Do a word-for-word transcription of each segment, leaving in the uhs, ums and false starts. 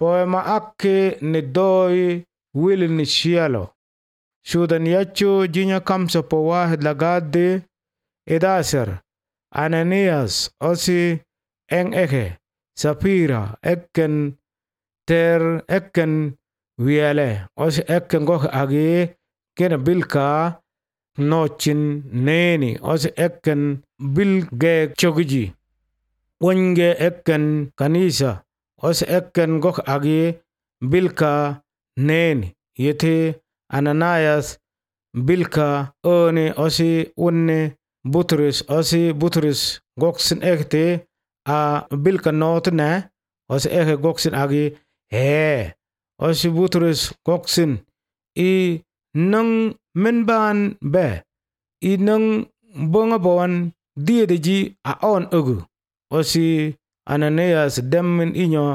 poema akke ni doi wili ni shialo. Shudan yacho jinya kamsa po wahid lagade edaser Ananias osi eng eke Sapira ekken ter ekken wiele osi ekken gok agi kena bilka nochin neni osi ekken bilge chogiji wonge ekken kanisa osi ekken gok agi bilka neni yete Ananias bilka oni osi unne Butrus osi Butrus goksin ekte a bilka notne osi eke goksin agi he osi Butrus goksin i nang menban be i nang bonga bawan diedeji a on ugu osi Ananias demmin inyo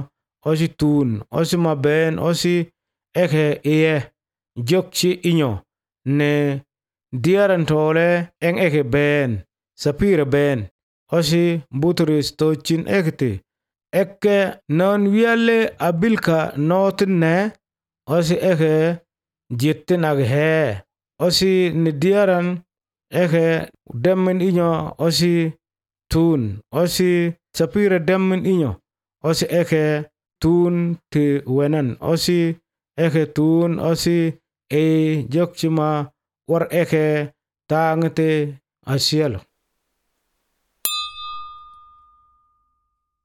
osi tun osi maben osi eke iye jokchi inyo ne diaran tole eng eke ben Sapira ben osi Butrus tochin ekte ekke non wiale abilka notin ne osi eke jitten ag he osi ni diaran eke demmin inyo osi tun osi Sapira demmin inyo osi eke tun ti wenan osi eke tun osi e jokchima war eke tangte asielo.